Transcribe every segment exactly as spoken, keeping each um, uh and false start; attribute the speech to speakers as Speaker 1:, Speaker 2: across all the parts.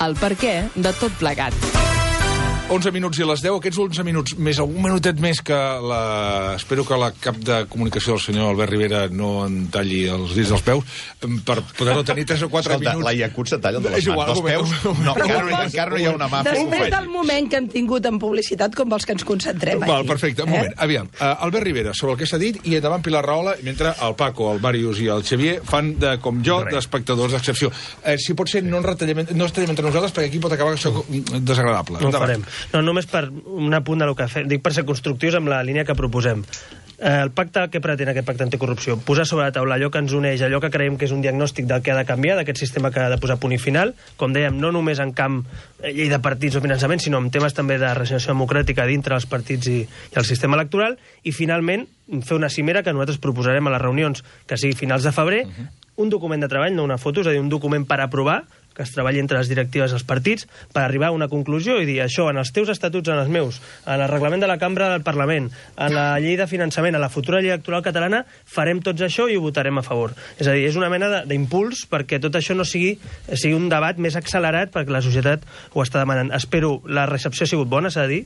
Speaker 1: el perquè de tot plegat.
Speaker 2: onze minuts i a les deu, aquests onze minuts més algun minutet més que la... Espero que la cap de comunicació del senyor Albert Rivera no en talli els dits dels peus per poder-ho tenir tres o quatre
Speaker 3: Escolta,
Speaker 2: minuts.
Speaker 3: la Iacut se talla de les
Speaker 2: És igual,
Speaker 3: mans dels peus. No, encara, no, encara no hi ha una mà.
Speaker 4: Després del moment que hem tingut en publicitat, com vols que ens concentrem aquí?
Speaker 2: Val, perfecte, un moment. Eh? Aviam, uh, Albert Rivera, sobre el que s'ha dit, i endavant Pilar Rahola, mentre el Paco, el Màrius i el Xavier fan, de, com jo, d'espectadors d'excepció. Eh, si pot ser, no ens retallem, no ens tallem entre nosaltres, perquè aquí pot acabar això desagradable.
Speaker 5: No ho farem. No, només per un apunt del que fem. Dic per ser constructius amb la línia que proposem. Eh, el pacte, què pretén aquest pacte anticorrupció? Posar sobre la taula allò que ens uneix, allò que creiem que és un diagnòstic del que ha de canviar, d'aquest sistema que ha de posar punt i final, com dèiem, no només en camp llei de partits o finançament, sinó en temes també de regeneració democràtica dintre dels partits i, i el sistema electoral, i finalment fer una cimera que nosaltres proposarem a les reunions que sigui finals de febrer, uh-huh. un document de treball, no una foto, és a dir, un document per aprovar, que es treballi entre les directives dels partits per arribar a una conclusió i dir això en els teus estatuts, en els meus, en el reglament de la Cambra del Parlament, en la llei de finançament, en la futura llei electoral catalana, farem tots això i ho votarem a favor. És a dir, és una mena d'impuls perquè tot això no sigui, sigui un debat més accelerat perquè la societat ho està demanant. Espero, la recepció ha sigut bona, s'ha de dir,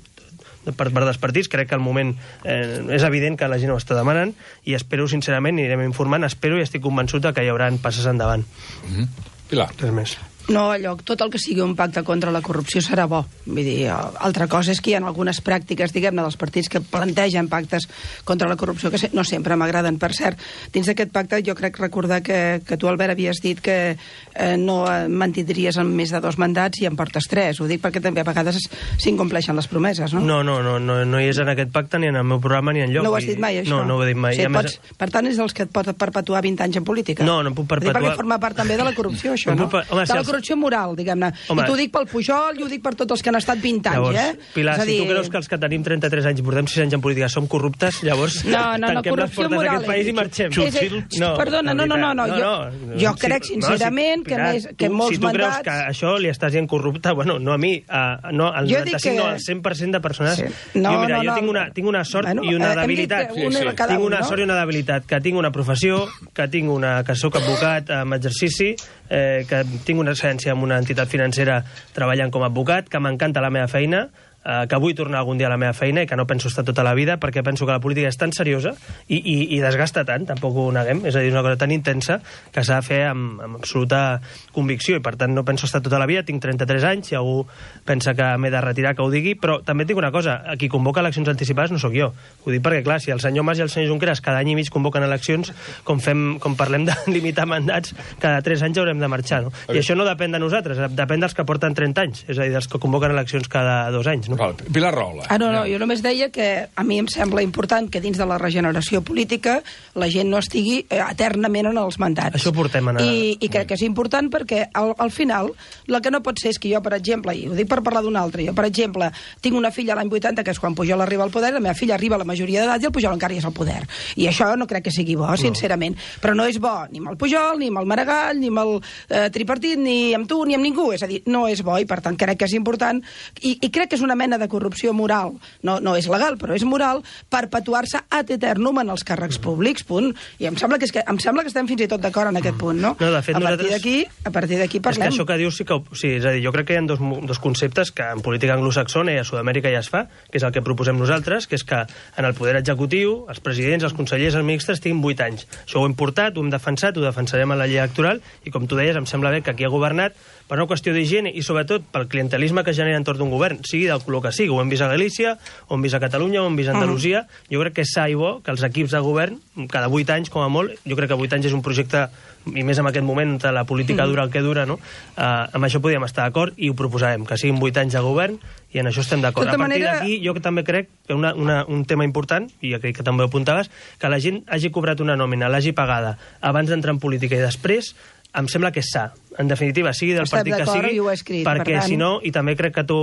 Speaker 5: per part dels partits, crec que al moment eh, és evident que la gent ho està demanant i espero, sincerament, i anirem informant, espero i estic convençut que hi haurà passes endavant.
Speaker 2: Mm-hmm. Pilar.
Speaker 5: Res més.
Speaker 4: No, allò, tot el que sigui un pacte contra la corrupció serà bo. Vull dir, altra cosa és que hi ha algunes pràctiques, diguem-ne, dels partits que plantegen pactes contra la corrupció, que no sempre m'agraden. Per cert, dins d'aquest pacte jo crec recordar que, que tu, Albert, havies dit que eh, no mantindries en més de dos mandats i en portes tres. Ho dic perquè també a vegades s'incompleixen les promeses, no?
Speaker 5: No, no, no, no, no hi és en aquest pacte, ni en el meu programa, ni enlloc.
Speaker 4: No ho has dit mai, això?
Speaker 5: No, no ho he dit mai.
Speaker 4: Sí,
Speaker 5: més...
Speaker 4: pots, per tant, és dels que et pot perpetuar vint anys en política?
Speaker 5: No, no em puc perpetuar...
Speaker 4: Perquè forma part també de la corrupció, això, no?
Speaker 5: Per... Home,
Speaker 4: de la corrupció moral, diguem-ne. I t'ho dic pel Pujol i ho dic per tots els que han estat vint anys,
Speaker 5: llavors,
Speaker 4: eh?
Speaker 5: Pilar,
Speaker 4: dir...
Speaker 5: si tu creus que els que tenim trenta-tres anys, portem sis anys en política, som corruptes, llavors
Speaker 4: no, no, no,
Speaker 5: tanquem les portes d'aquest país i marxem.
Speaker 4: És, és, no, perdona, no, no, no, no, jo, no, jo crec sincerament no, si,
Speaker 5: que,
Speaker 4: Pilar, més, que
Speaker 5: tu,
Speaker 4: molts
Speaker 5: si tu
Speaker 4: mandats...
Speaker 5: creus que això li estàs dient corrupte, bueno, no a mi, a, no, al noranta-cinc, que... no, al cent per cent de persones... Sí. No, jo, mira, no, no, jo tinc una, tinc una sort bueno, i una debilitat.
Speaker 4: Sí, sí.
Speaker 5: Tinc una sort i una debilitat, que tinc una professió, que tinc una, que soc advocat amb exercici, eh, que tinc una excel·lència en una entitat financera treballant com a advocat, que m'encanta la meva feina, eh, que vull tornar algun dia a la meva feina i que no penso estar tota la vida perquè penso que la política és tan seriosa i, i, i desgasta tant, tampoc ho neguem, és a dir, una cosa tan intensa que s'ha de fer amb, amb absoluta convicció i per tant no penso estar tota la vida, tinc trenta-tres anys, si algú pensa que m'he de retirar que ho digui, però també tinc una cosa, a qui convoca eleccions anticipades no sóc jo, ho dic perquè clar, si el senyor Mas i el senyor Junqueras cada any i mig convoquen eleccions, com, fem, com parlem de limitar mandats, cada tres anys haurem de marxar, no? I això no depèn de nosaltres, depèn dels que porten trenta anys, és a dir, dels que convoquen eleccions cada dos anys, no?
Speaker 2: Val, Pilar Rahola.
Speaker 4: Ah, no, no, jo només deia que a mi em sembla important que dins de la regeneració política la gent no estigui eh, eternament en els mandats.
Speaker 5: Això portem a anar...
Speaker 4: I, i crec que és important perquè al, al final el que no pot ser és que jo, per exemple, i ho dic per parlar d'un altre, jo, per exemple, tinc una filla l'any vuitanta, que és quan Pujol arriba al poder, la meva filla arriba a la majoria d'edat i el Pujol encara hi és al poder. I això no crec que sigui bo, no. sincerament. Però no és bo ni amb el Pujol, ni amb el Maragall, ni amb el eh, tripartit, ni amb tu, ni amb ningú. És a dir, no és bo i, per tant, crec que és important. I, i crec que és una mena de corrupció moral. No, no és legal, però és moral perpetuar-se ad eternum en els càrrecs públics, punt. I em sembla que, és que, em sembla que estem fins i tot d'acord en aquest punt, no?
Speaker 5: No, de fet,
Speaker 4: a partir
Speaker 5: nosaltres...
Speaker 4: d'aquí, a partir d'aquí parlem.
Speaker 5: És que això que dius sí que... Sí, és a dir, jo crec que hi ha dos, dos conceptes que en política anglosaxona i a Sud-amèrica ja es fa, que és el que proposem nosaltres, que és que en el poder executiu, els presidents, els consellers, els ministres tinguin vuit anys. Això ho hem portat, ho hem defensat, ho defensarem a la llei electoral i, com tu deies, em sembla bé que aquí ha governat per una qüestió d'higiene i, sobretot, pel clientelisme que genera entorn d'un govern, sigui del color que sigui. Ho hem vist a Galícia, ho hem vist a Catalunya, ho hem vist a Andalusia. Uh-huh. Jo crec que és sa i bo que els equips de govern, cada vuit anys, com a molt, jo crec que vuit anys és un projecte, i més en aquest moment, on la política dura el que dura, no? Uh, amb això podríem estar d'acord i ho proposarem, que siguin vuit anys de govern i en això estem d'acord. A partir manera... d'aquí, jo també crec que una, una, un tema important, i crec que també ho apuntaves, que la gent hagi cobrat una nòmina, l'hagi pagada abans d'entrar en política i després, em sembla que és sa. En definitiva, sigui del partit que sigui,
Speaker 4: escrit,
Speaker 5: perquè
Speaker 4: per tant...
Speaker 5: si no, i també crec que tu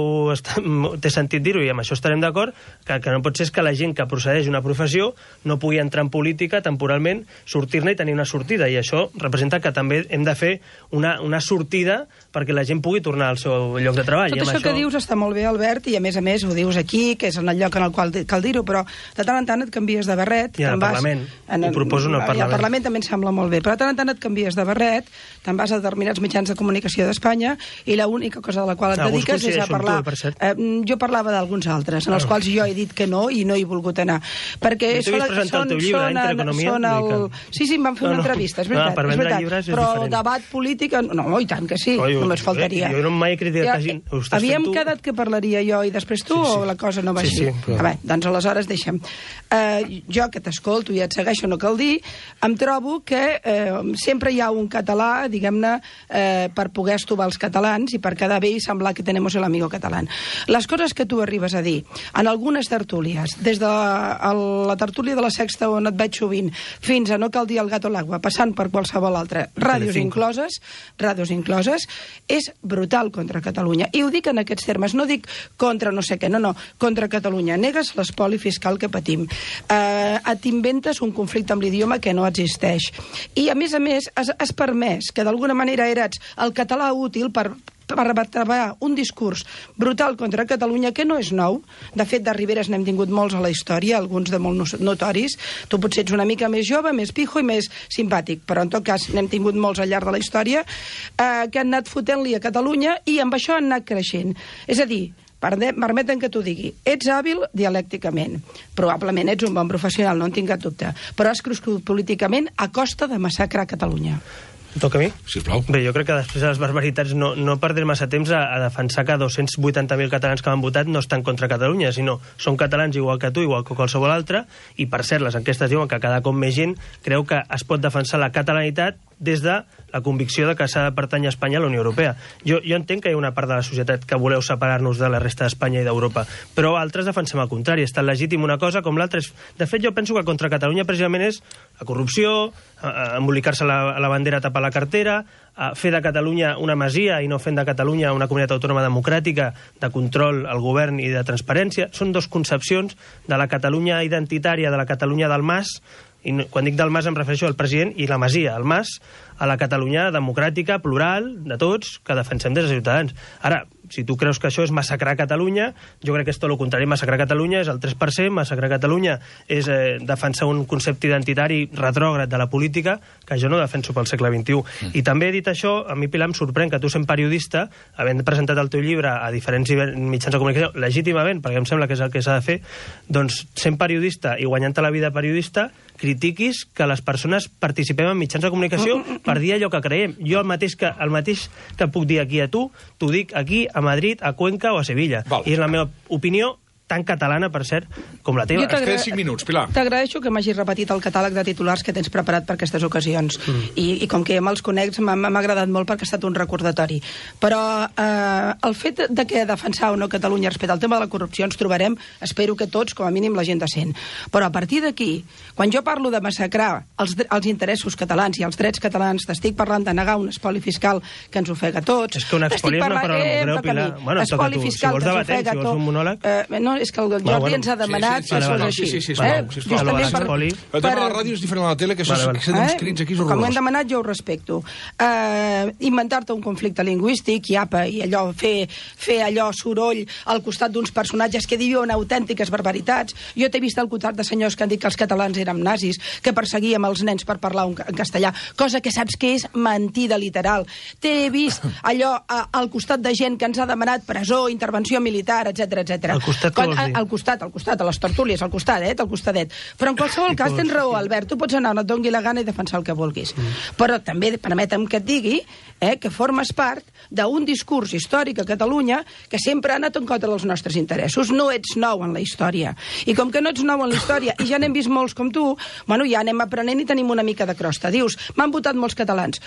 Speaker 5: t'he sentit dir-ho, i amb això estarem d'acord, que el que no pot ser és que la gent que procedeix d'una professió no pugui entrar en política temporalment, sortir-ne i tenir una sortida, i això representa que també hem de fer una, una sortida perquè la gent pugui tornar al seu lloc de treball.
Speaker 4: Tot
Speaker 5: I
Speaker 4: això,
Speaker 5: això
Speaker 4: que dius està molt bé, Albert, i a més a més ho dius aquí, que és en el lloc en el qual cal dir-ho, però de tant en tant et canvies de barret.
Speaker 5: I al Parlament,
Speaker 4: en,
Speaker 5: ho proposo en el Parlament.
Speaker 4: I al Parlament també em sembla molt bé, però de tant en tant et canvies de barret te'n vas a determinats mitjans de comunicació d'Espanya i l'única cosa de la qual et
Speaker 5: Alguns
Speaker 4: dediques és a
Speaker 5: coincideixo amb
Speaker 4: parlar...
Speaker 5: tu, per cert.
Speaker 4: Eh, jo parlava d'alguns altres, en els quals jo he dit que no i no he volgut anar. Perquè
Speaker 5: I tu havies presentat el teu llibre,
Speaker 4: són,
Speaker 5: Entre Economia,
Speaker 4: són el...
Speaker 5: vull dir
Speaker 4: Sí, sí, em van fer
Speaker 5: No,
Speaker 4: una
Speaker 5: no.
Speaker 4: entrevista, és
Speaker 5: No,
Speaker 4: veritat.
Speaker 5: per
Speaker 4: és
Speaker 5: vendre
Speaker 4: veritat.
Speaker 5: llibres és
Speaker 4: Però
Speaker 5: diferent.
Speaker 4: el debat polític... No, i tant que sí,
Speaker 5: Oi,
Speaker 4: només faltaria.
Speaker 5: Jo no mai he criticat
Speaker 4: Ja,
Speaker 5: que hagin- ho estàs
Speaker 4: Havíem
Speaker 5: fent tu.
Speaker 4: quedat que parlaria jo i després tu,
Speaker 5: Sí, sí.
Speaker 4: o la cosa no va
Speaker 5: Sí,
Speaker 4: així?
Speaker 5: sí, però-
Speaker 4: A veure, doncs aleshores deixem. Uh, jo, que t'escolto i et segueixo, no cal dir, em trobo que uh, sempre hi ha un català, diguem-ne, uh, per poder estovar els catalans i per quedar bé i semblar que tenemos el amigo catalán. Les coses que tu arribes a dir en algunes tertúlies, des de la, la tertúlia de la Sexta, on et veig sovint, fins a no cal dir el gato a l'aigua, passant per qualsevol altra, ràdios
Speaker 5: Telecinco.
Speaker 4: incloses, ràdios incloses, és brutal contra Catalunya. I ho dic en aquests termes, no dic contra no sé què, no, no, contra Catalunya. Negues l'espoli fiscal que patim. Eh, et inventes un conflicte amb l'idioma que no existeix. I, a més a més, has, has permès que d'alguna manera eres el català útil per per revertebrar un discurs brutal contra Catalunya que no és nou. De fet, de Riberes n'hem tingut molts a la història, alguns de molt notoris. Tu potser ets una mica més jove, més pijo i més simpàtic, però en tot cas n'hem tingut molts al llarg de la història eh, que han anat fotent-li a Catalunya i amb això han anat creixent. És a dir, permeten que t'ho digui, ets hàbil dialècticament, probablement ets un bon professional, no en tinc cap dubte, però has crescut políticament a costa de massacrar Catalunya.
Speaker 5: Toca a mi?
Speaker 2: Sisplau.
Speaker 5: Bé, jo crec que després de les barbaritats no, no perdré massa temps a, a defensar que dos-cents vuitanta mil catalans que han votat no estan contra Catalunya, sinó són catalans igual que tu, igual que qualsevol altre, i per cert, les enquestes diuen que cada cop més gent creu que es pot defensar la catalanitat des de la convicció de que s'ha de pertànyer a Espanya a la Unió Europea. Jo, jo entenc que hi ha una part de la societat que voleu separar-nos de la resta d'Espanya i d'Europa, però altres defensem el contrari. És tan legítim una cosa com l'altra. De fet, jo penso que contra Catalunya precisament és la corrupció, embolicar-se la, la bandera, tapar la cartera, fer de Catalunya una masia i no fent de Catalunya una comunitat autònoma democràtica de control al govern i de transparència. Són dos concepcions de la Catalunya identitària, de la Catalunya del Mas, i no, quan dic del Mas em refereixo al president i la masia, el Mas, a la Catalunya democràtica, plural, de tots, que defensem des de Ciutadans. Ara, si tu creus que això és massacrar Catalunya, jo crec que és tot el contrari. Massacrar Catalunya és el tres per cent, massacrar Catalunya és eh, defensar un concepte identitari retrògrad de la política que jo no defenso pel segle vint-i-u. Mm. I també, dit això, a mi, Pilar, em sorprèn que tu, sent periodista, havent presentat el teu llibre a diferents mitjans de comunicació, legítimament, perquè em sembla que és el que s'ha de fer, doncs, sent periodista i guanyant-te la vida periodista, critiquis que les persones participem en mitjans de comunicació per dir allò que creiem. Jo el mateix que, el mateix que puc dir aquí a tu, t'ho dic aquí, a Madrid, a Cuenca o a Sevilla.
Speaker 2: Val.
Speaker 5: I és la meva opinió tan catalana, per cert, com la teva.
Speaker 4: Jo t'agra-
Speaker 2: queden cinc minuts, Pilar.
Speaker 4: T'agraeixo que m'hagis repetit el catàleg de titulars que tens preparat per aquestes ocasions. Mm. I, I com que ja me'ls conec, m'ha m'ha agradat molt perquè ha estat un recordatori. Però eh, el fet de que defensar o no Catalunya respecte al tema de la corrupció ens trobarem, espero que tots, com a mínim, la gent decent. Però a partir d'aquí, quan jo parlo de massacrar els, els interessos catalans i els drets catalans, t'estic parlant de negar un espoli fiscal que ens ofega a tots.
Speaker 5: És que un espoli és una paraula molt greu, Pilar. Bueno, toca a tu. Si vols debatem, si vols un monòleg.
Speaker 4: Eh, no, és que el Jordi
Speaker 5: Va, bueno.
Speaker 4: ens ha demanat
Speaker 2: Sí, sí,
Speaker 4: que
Speaker 2: sí,
Speaker 4: fos
Speaker 2: sí,
Speaker 4: així.
Speaker 2: sí, sí, sí,
Speaker 4: eh?
Speaker 2: sisplau, sisplau.
Speaker 4: Justament
Speaker 5: Lo de l'espoli.
Speaker 2: El tema de la ràdio és diferent a la tele, que això
Speaker 5: Vale, vale.
Speaker 2: són uns crits aquí és
Speaker 4: Com ho hem
Speaker 2: horrorós.
Speaker 4: demanat, jo ho respecto. Uh, Inventar-te un conflicte lingüístic i apa, i allò, fer, fer allò soroll al costat d'uns personatges que diuen autèntiques barbaritats. Jo t'he vist al costat de senyors que han dit que els catalans érem nazis, que perseguíem els nens per parlar un, en castellà, cosa que saps que és mentida literal. T'he vist allò a, al costat de gent que ens ha demanat presó, intervenció militar, etc etc.
Speaker 5: Al costat, què vols dir?
Speaker 4: Al costat, al costat, a les tertúlies, al costadet, al costadet. Però en qualsevol cas tens raó, Albert, tu pots anar on et dongui la gana i defensar el que vulguis. Mm. Però també permetem que et digui eh, que formes part d'un discurs històric a Catalunya que sempre ha anat en contra dels nostres interessos. No ets nou en la història. I com que no ets nou en la història, i ja n'hem vist molts com tu, bueno, ja anem aprenent i tenim una mica de crosta. Dius, m'han votat molts catalans.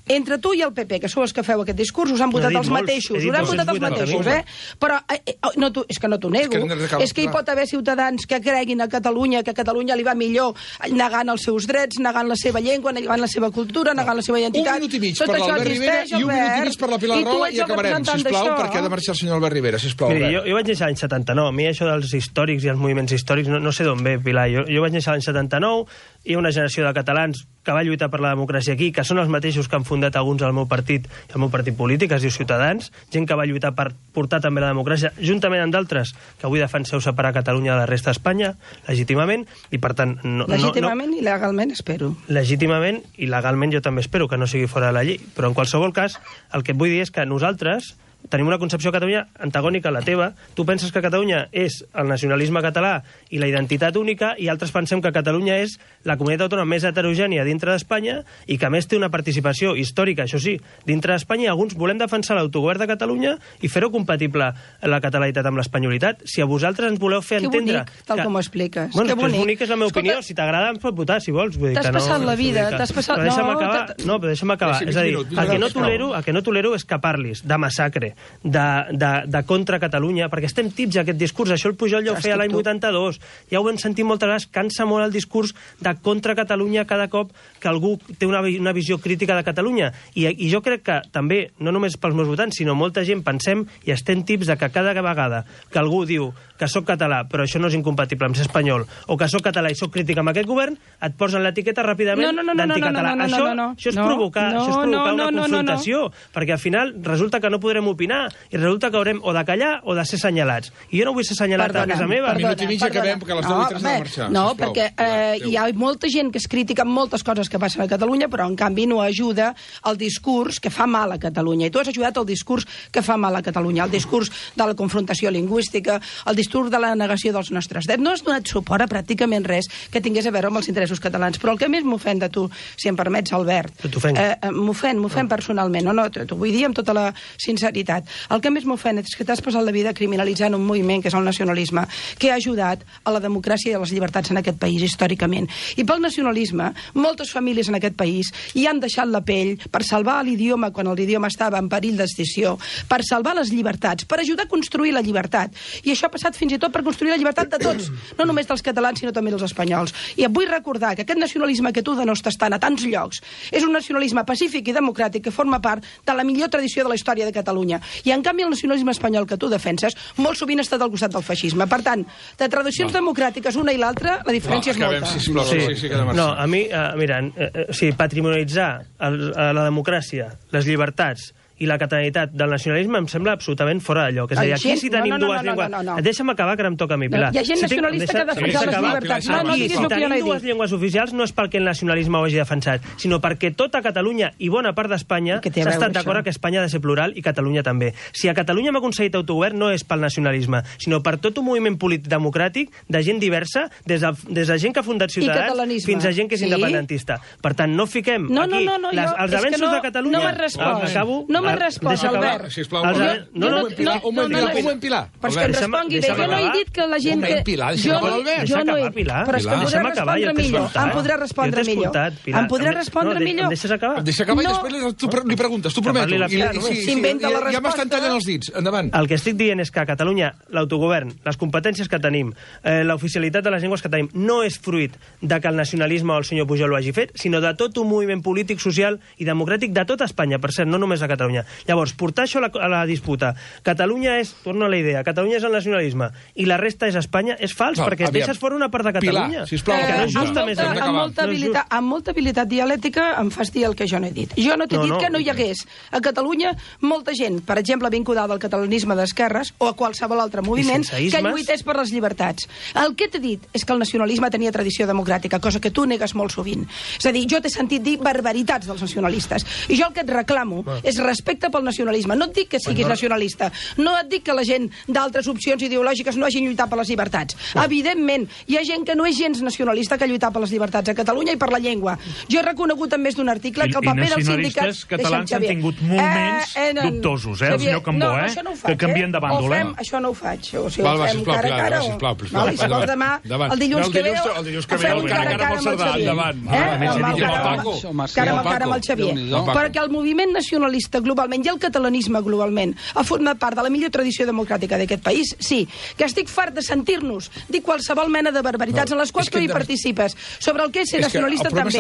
Speaker 4: Entre tu i el P P, que sou els que feu aquest discurs, us han
Speaker 5: No he
Speaker 4: votat
Speaker 5: dit
Speaker 4: els
Speaker 5: molts,
Speaker 4: mateixos.
Speaker 5: he dit
Speaker 4: Us han
Speaker 5: dos-cents
Speaker 4: votat els
Speaker 5: vuitanta
Speaker 4: mateixos,
Speaker 5: mil.
Speaker 4: eh? Però eh, eh, no, tu, és que no t'ho nego.
Speaker 2: És que no cal-
Speaker 4: És que hi pot haver ciutadans que creguin a Catalunya que a Catalunya li va millor negant els seus drets, negant la seva llengua, negant la seva cultura, negant la seva identitat.
Speaker 2: Un minut i mig
Speaker 4: Tot
Speaker 2: per
Speaker 4: això
Speaker 2: l'Albert Rivera
Speaker 4: existeix,
Speaker 2: i un minut i
Speaker 4: Albert.
Speaker 2: mig per la Pilar
Speaker 4: I tu
Speaker 2: Rahola
Speaker 4: ets
Speaker 2: i
Speaker 4: el
Speaker 2: acabarem,
Speaker 4: representant
Speaker 2: sisplau,
Speaker 4: d'això.
Speaker 2: perquè ha de marxar el senyor Albert Rivera, sisplau.
Speaker 5: Miri, jo,
Speaker 2: Albert.
Speaker 5: jo vaig néixer l'any setanta-nou. A mi això dels històrics i els moviments històrics no, no sé d'on ve, Pilar. Jo, jo vaig néixer l'any setanta-nou hi ha una generació de catalans que va lluitar per la democràcia aquí, que són els mateixos que han fundat alguns del meu partit, el meu partit polític, es diu Ciutadans, gent que va lluitar per portar també la democràcia, juntament amb d'altres que avui defenseu separar Catalunya de la resta d'Espanya, legítimament, i per tant... No,
Speaker 4: legítimament
Speaker 5: no, no,
Speaker 4: i legalment, espero.
Speaker 5: Legítimament i legalment jo també espero que no sigui fora de la llei, però en qualsevol cas, el que et vull dir és que nosaltres tenim una concepció de Catalunya antagònica a la teva. Tu penses que Catalunya és el nacionalisme català i la identitat única, i altres pensem que Catalunya és la comunitat autònoma més heterogènia dintre d'Espanya i que a més té una participació històrica, això sí, dintre d'Espanya, i alguns volem defensar l'autogovern de Catalunya i fer-ho compatible la catalanitat amb l'espanyolitat. Si a vosaltres ens voleu fer
Speaker 4: que
Speaker 5: entendre...
Speaker 4: Que bonic, tal
Speaker 5: que...
Speaker 4: com ho expliques.
Speaker 5: Bueno,
Speaker 4: que bonic.
Speaker 5: bonic és la meva
Speaker 4: Escolta,
Speaker 5: opinió. Si t'agrada, em pot votar, si vols.
Speaker 4: T'has
Speaker 5: no,
Speaker 4: passat la vida,
Speaker 5: que...
Speaker 4: t'has passat...
Speaker 5: Però deixa'm
Speaker 4: no,
Speaker 5: acabar. No, però deixa'm acabar.
Speaker 2: Sí,
Speaker 5: És a dir,
Speaker 2: minuts,
Speaker 5: el que, no
Speaker 2: minuts,
Speaker 5: tolero, el que no tolero és que parlis de massacre, de, de, de contra Catalunya, perquè estem tips a aquest discurs. Això el Pujol ja ho feia l'any vuitanta-dos. Ja ho hem sentit moltes vegades. Cansa molt el discurs de contra Catalunya cada cop que algú té una, una visió crítica de Catalunya. I, I jo crec que també, no només pels meus votants, sinó molta gent pensem i estem tips de que cada vegada que algú diu que sóc català, però això no és incompatible amb ser espanyol, o que sóc català i sóc crític amb aquest govern, et posen l'etiqueta ràpidament
Speaker 4: no, no, no,
Speaker 5: d'anticatalà.
Speaker 4: no, no, no,
Speaker 5: això,
Speaker 4: no, no, no.
Speaker 5: això és
Speaker 4: No,
Speaker 5: provocar,
Speaker 4: no,
Speaker 5: això és provocar
Speaker 4: no,
Speaker 5: una
Speaker 4: no, no,
Speaker 5: confrontació,
Speaker 4: no, no.
Speaker 5: perquè al final resulta que no podrem opinar i resulta que haurem o de callar o de ser assenyalats. I jo no vull ser assenyalat
Speaker 4: Perdona,
Speaker 5: a casa meva.
Speaker 4: perdona,
Speaker 2: Minut i mig
Speaker 4: perdona.
Speaker 2: acabem, perquè a les deu i tres
Speaker 4: no,
Speaker 2: ha de
Speaker 4: bé,
Speaker 2: marxar,
Speaker 4: No,
Speaker 2: sisplau.
Speaker 4: perquè eh,
Speaker 2: Adéu.
Speaker 4: hi ha molta gent que es critica amb moltes coses que passen a Catalunya, però en canvi no ajuda el discurs que fa mal a Catalunya. I tu has ajudat el discurs que fa mal a Catalunya, el discurs de la confrontació lingüística, el discurs de la negació dels nostres drets. No has donat suport a pràcticament res que tingués a veure amb els interessos catalans. Però el que més m'ofèn de tu, si em permets, Albert,
Speaker 5: T'ofenc.
Speaker 4: eh, m'ofèn, m'ofèn personalment, no, no, t'ho vull dir amb tota la sinceritat. El que més m'ofèn és que t'has passat la vida criminalitzant un moviment que és el nacionalisme, que ha ajudat a la democràcia i a les llibertats en aquest país històricament. I pel nacionalisme, moltes famílies en aquest país hi han deixat la pell per salvar l'idioma quan l'idioma estava en perill d'extinció, per salvar les llibertats, per ajudar a construir la llibertat. I això ha passat fins i tot per construir la llibertat de tots, no només dels catalans, sinó també dels espanyols. I et vull recordar que aquest nacionalisme que tu denostes tant a tants llocs és un nacionalisme pacífic i democràtic que forma part de la millor tradició de la història de Catalunya. I en canvi el nacionalisme espanyol que tu defenses molt sovint ha estat al costat del feixisme. Per tant, de tradicions
Speaker 2: Va.
Speaker 4: democràtiques una i l'altra, la diferència
Speaker 2: Va,
Speaker 4: és
Speaker 2: acabem,
Speaker 4: molta.
Speaker 2: sisplau, sí, sí, sí, que ha de marxar.
Speaker 5: No, a mi, uh, mira, uh, o sigui, patrimonialitzar el, uh, la democràcia, les llibertats i la catalanitat del nacionalisme em sembla absolutament fora de lloc. És a dir, aquí
Speaker 4: Gent-
Speaker 5: si tenim
Speaker 4: no, no, no,
Speaker 5: dues
Speaker 4: no, no,
Speaker 5: llengües...
Speaker 4: no, no.
Speaker 5: Deixa'm acabar, que ara em toca a mi, Pilar.
Speaker 4: Hi ha gent
Speaker 5: Si tinc-
Speaker 4: nacionalista que ha
Speaker 5: deixa-
Speaker 4: defensat
Speaker 5: deixa
Speaker 4: les
Speaker 5: acabar.
Speaker 4: llibertats.
Speaker 2: No, no
Speaker 5: Aquí,
Speaker 4: diguis
Speaker 5: si
Speaker 4: el que jo no
Speaker 5: tenim
Speaker 4: he
Speaker 5: dues
Speaker 4: dit.
Speaker 5: llengües oficials no és perquè el nacionalisme ho hagi defensat, sinó perquè tota Catalunya i bona part d'Espanya
Speaker 4: Què té a
Speaker 5: s'ha
Speaker 4: veure
Speaker 5: estat d'acord
Speaker 4: això?
Speaker 5: que Espanya ha de ser plural i Catalunya també. Si a Catalunya hem aconseguit autogovern no és pel nacionalisme, sinó per tot un moviment polític democràtic de gent diversa, des de, des de gent que ha fundat Ciutadans
Speaker 4: catalanisme.
Speaker 5: fins a gent que és
Speaker 4: Sí.
Speaker 5: independentista. Per tant, no fiquem
Speaker 4: No, no,
Speaker 5: aquí
Speaker 4: no, no,
Speaker 5: les,
Speaker 4: jo-
Speaker 5: els
Speaker 4: és que
Speaker 5: avenços
Speaker 4: no-
Speaker 5: de Catalunya...
Speaker 4: no m'has respost.
Speaker 5: Acabo.
Speaker 4: No m'has
Speaker 5: Ah,
Speaker 4: respost,
Speaker 5: deixa acabar.
Speaker 4: Albert.
Speaker 2: Sisplau,
Speaker 5: Els
Speaker 2: jo-
Speaker 5: ave-
Speaker 4: jo
Speaker 5: no, no,
Speaker 4: no-
Speaker 2: un Pilar, un moment,
Speaker 4: no, no,
Speaker 2: Pilar, un moment, Pilar.
Speaker 4: Però és que em
Speaker 5: Deixa'm-
Speaker 4: respongui bé.
Speaker 5: deixa'm
Speaker 4: Jo no he
Speaker 5: acabar.
Speaker 4: dit que la gent...
Speaker 2: Un moment,
Speaker 4: que...
Speaker 2: Pilar, deixa'm
Speaker 4: jo,
Speaker 2: acabar, Albert.
Speaker 4: jo no he...
Speaker 5: Deixa acabar, Pilar.
Speaker 4: Però és que em
Speaker 2: Pilar.
Speaker 4: podrà
Speaker 5: Deixa'm acabar,
Speaker 4: respondre
Speaker 5: jo t'he
Speaker 4: millor.
Speaker 5: escoltat.
Speaker 4: Em podrà
Speaker 5: Jo
Speaker 4: respondre
Speaker 5: t'he
Speaker 4: millor.
Speaker 5: escoltat, Pilar.
Speaker 4: Em podrà
Speaker 5: Em-
Speaker 4: respondre
Speaker 5: no, de-
Speaker 4: millor.
Speaker 5: em deixes acabar?
Speaker 2: Deixa acabar
Speaker 4: No.
Speaker 2: i després tu pre- li preguntes, t'ho
Speaker 5: Que
Speaker 2: prometo.
Speaker 5: parli la
Speaker 2: I-
Speaker 5: Pilar,
Speaker 2: i-
Speaker 5: només.
Speaker 2: sí, sí,
Speaker 4: S'inventa la
Speaker 2: ja- Ja m'estan
Speaker 4: resposta.
Speaker 2: tallant els dits. Endavant.
Speaker 5: El que estic dient és que a Catalunya l'autogovern, les competències que tenim, eh, l'oficialitat de les llengües que tenim, no és fruit de que el nacionalisme o el senyor Pujol ho hagi fet, sinó de tot un moviment polític, social i democràtic de tota Espanya, per cert, no només a Catalunya. Llavors, portar això a la, a la disputa, Catalunya és, torno a la idea, Catalunya és el nacionalisme i la resta és Espanya, és fals,
Speaker 2: No,
Speaker 5: perquè
Speaker 2: aviam.
Speaker 5: deixes fora una part de Catalunya.
Speaker 2: Pilar, sisplau,
Speaker 5: que no és
Speaker 2: Eh,
Speaker 5: justa,
Speaker 4: amb,
Speaker 5: més
Speaker 4: molta,
Speaker 5: a més.
Speaker 4: amb, molta
Speaker 5: No és
Speaker 4: habilitat, amb molta habilitat dialèctica em fas dir el que jo no he dit. Jo no t'he
Speaker 5: No,
Speaker 4: dit
Speaker 5: no.
Speaker 4: que no hi hagués a Catalunya molta gent, per exemple, vinculada al catalanisme d'esquerres o a qualsevol altre moviment
Speaker 5: sense
Speaker 4: que
Speaker 5: ismes.
Speaker 4: lluités per les llibertats. El que t'he dit és que el nacionalisme tenia tradició democràtica, cosa que tu negues molt sovint. És a dir, jo t'he sentit dir barbaritats dels nacionalistes. I jo el que et reclamo és respecte pel nacionalisme. No et dic que siguis nacionalista. No et dic que la gent d'altres opcions ideològiques no hagin lluitat per les llibertats. Evidentment, hi ha gent que no és gens nacionalista que ha lluitat per les llibertats a Catalunya i per la llengua. Jo he reconegut en més d'un article
Speaker 6: I-
Speaker 4: que el
Speaker 6: i
Speaker 4: paper dels
Speaker 6: nacionalistes
Speaker 4: sindicats...
Speaker 6: catalans
Speaker 4: Deixa'm,
Speaker 6: han tingut moments dubtosos, eh, el senyor Cambó,
Speaker 4: no,
Speaker 6: eh,
Speaker 4: això no ho
Speaker 6: que
Speaker 4: faig,
Speaker 6: canvien de bàndol,
Speaker 4: o
Speaker 6: eh?
Speaker 4: fem, això no ho faig. O sigui,
Speaker 2: Val,
Speaker 4: ho
Speaker 2: va,
Speaker 4: fem
Speaker 2: sisplau,
Speaker 4: cara a
Speaker 2: Pilar,
Speaker 4: cara.
Speaker 2: va,
Speaker 4: o-
Speaker 2: sisplau, sisplau.
Speaker 4: Val, I si vols demà,
Speaker 2: Endavant.
Speaker 4: el dilluns
Speaker 2: No, el
Speaker 4: que ve...
Speaker 2: dilluns-
Speaker 4: o-
Speaker 2: el dilluns que
Speaker 4: ho
Speaker 2: ve,
Speaker 4: fem
Speaker 2: el
Speaker 4: cara a
Speaker 2: cara
Speaker 4: cara
Speaker 2: amb el
Speaker 4: amb el
Speaker 2: Cerdà,
Speaker 4: Xavier.
Speaker 2: endavant.
Speaker 4: Eh?
Speaker 2: Endavant.
Speaker 4: Amb el
Speaker 2: I el
Speaker 4: cara-
Speaker 2: Paco.
Speaker 4: cara a
Speaker 2: I el
Speaker 4: cara amb el
Speaker 2: Paco.
Speaker 4: Xavier.
Speaker 2: Déu-n'hi-do.
Speaker 4: Perquè el moviment nacionalista global globalment i el catalanisme globalment ha format part de la millor tradició democràtica d'aquest país, sí. Que estic fart de sentir-nos dir qualsevol mena de barbaritats en les quals tu hi participes, sobre el que és ser nacionalista també.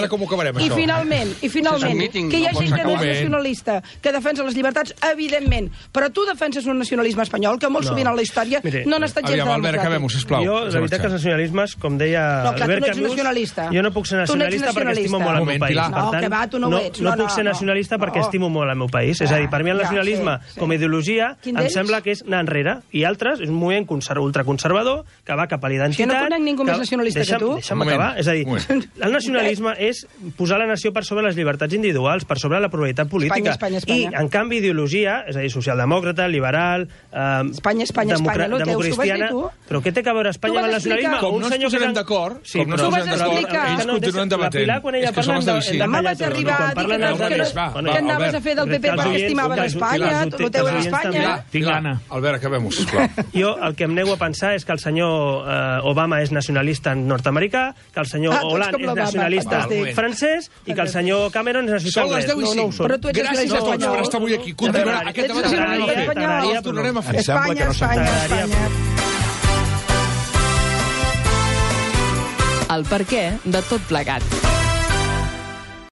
Speaker 4: I finalment, i finalment, que hi ha gent que no és nacionalista, que defensa les llibertats, evidentment, però tu defenses un nacionalisme espanyol que molt sovint en la història no han estat gens democràtic.
Speaker 5: Jo, la veritat que els nacionalismes, com deia Albert Camus, jo no puc ser nacionalista perquè estimo molt el meu país.
Speaker 4: No, que va, tu no ho ets.
Speaker 5: No puc ser nacionalista perquè estimo molt el meu país. És a dir, per mi el nacionalisme, com a ideologia, em sembla que és anar enrere. I altres, és un moviment ultraconservador que va cap a la identitat...
Speaker 4: Jo no conec ningú més nacionalista que tu.
Speaker 5: Deixa'm acabar. És a dir, el nacionalisme és posar la nació per sobre les llibertats individuals, per sobre la pluralitat política.
Speaker 4: Espanya, Espanya, Espanya.
Speaker 5: I, en canvi, ideologia, és a dir, socialdemòcrata, liberal, eh,
Speaker 4: Espanya, Espanya, Espanya, no
Speaker 5: democristiana... Però què té a veure Espanya amb el nacionalisme?
Speaker 2: Com no ens posarem d'acord, com no ens posarem d'acord, ells continuen debatent.
Speaker 5: És que són els de Vicent.
Speaker 4: Home, vaig arribar a dir que anaves a fer del P P perquè estimaves Espanya, el teu era Espanya.
Speaker 6: Tinc gana.
Speaker 2: Albert, acabem-ho, sisplau.
Speaker 5: Jo el que em nego a pensar és que el senyor eh, Obama és nacionalista nord-americà, que el senyor
Speaker 4: Ah, tu ets
Speaker 5: Hollande
Speaker 4: com
Speaker 5: és
Speaker 4: l'Obama,
Speaker 5: nacionalista
Speaker 4: fantàstic.
Speaker 5: francès i que el senyor Cameron és nacionalista
Speaker 2: Són les
Speaker 5: anglès.
Speaker 2: deu i
Speaker 5: No, no ho
Speaker 2: cinc.
Speaker 5: són.
Speaker 4: Però tu ets
Speaker 2: Gràcies a tots
Speaker 4: espanyol.
Speaker 2: per estar avui aquí. Continuarà aquest debat.
Speaker 4: Ets
Speaker 2: El tornarem a fer.
Speaker 4: espanyol.
Speaker 2: El tornarem a fer.
Speaker 3: Em sembla que no
Speaker 4: Espanya,
Speaker 3: s'entén.
Speaker 4: Espanya, Espanya.
Speaker 1: El perquè de tot plegat.